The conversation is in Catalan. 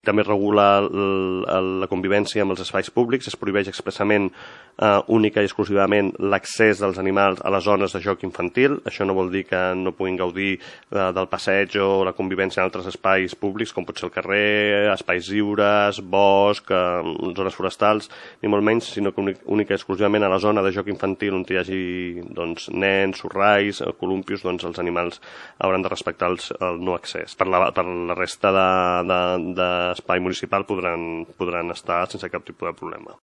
També regula la convivència amb els espais públics, es prohibeix expressament única i exclusivament l'accés dels animals a les zones de joc infantil. Això no vol dir que no puguin gaudir del passeig o la convivència en altres espais públics, com pot ser el carrer, espais lliures, bosc, zones forestals, ni molt menys, sinó que única i exclusivament a la zona de joc infantil on hi hagi nens, sorrais, columpios, els animals hauran de respectar el no accés. Per la resta de espai municipal podran estar sense cap tipus de problema.